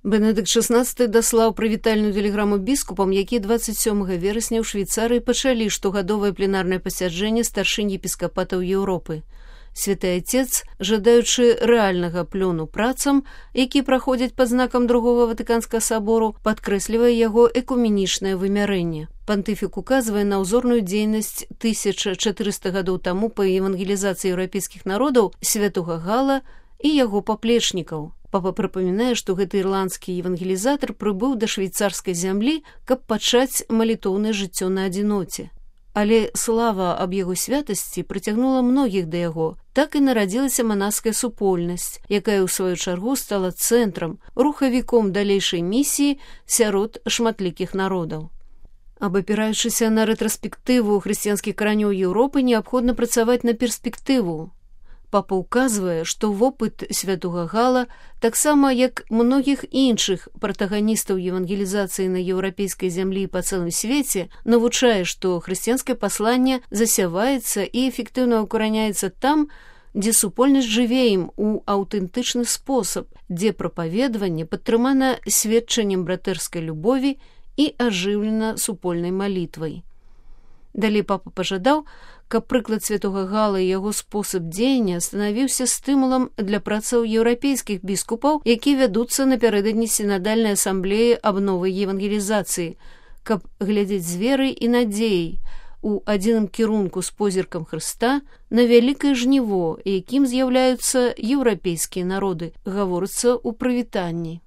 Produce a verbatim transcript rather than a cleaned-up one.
Бенедыкт шаснаццаты даслаў прывітальную тэлеграму біскупам, якія дваццаць сёмага верасня ў Швейцарыі пачалі штогадовае пленарнае пасяджэнне старшынь епіскапатаў Еўропы. Святы Отец, жадаючы рэальнага плёну працам, які праходзяць пад знакам другога Ватыканскага сабору, падкрэслівае яго экуменічнае вымярэнне. Пантыфік указвае на ўзорную дзейнасць тысяча чатырыста гадоў таму па евангелізацыі еўрапейскіх народаў святога Гала і яго паплечнікаў. Папа прыпамінае, што гэты ірландскі евангелізатар прыбыў да швейцарскай зямлі, каб пачаць малітоўнае жыццё на адзіноце. Але слава аб яго святасці прыцягнула многіх да яго. Так і нарадзілася манаская супольнасць, якая ў сваю чаргу стала цэнтрам, рухавіком далейшай місіі сярод шматлікіх народаў. Абапіраючыся на рэтраспектыву хрысціянскіх каранёў Еўропы, неабходна працаваць на перспектыву. Папа ўказвае, што вопыт святога Гала, таксама як многіх іншых пратаганістаў евангелізацыі на еўрапейскай зямлі і па цэлым свеце, навучае, што хрысціянскае пасланне засяваецца і эфектыўна укараняецца там, дзе супольнасць жыве ім у аўтэнтычны спосаб, дзе прапаведванне падтрымана сведчаннем братэрскай любові і ажыўлена супольнай малітвай. Далей папа пажадаў, каб прыклад святога Гала і яго спосаб дзеяння станавіўся стымулам для працаў еўрапейскіх біскупаў, якія вядуцца напярэдадні сінадальнай асамблеі аб новай евангелізацыі, каб глядзець з верай і надзеяй у адзіным кірунку з позіркам Хрыста на вялікае жніво, якім з'яўляюцца еўрапейскія народы, гаворыцца ў прывітанні.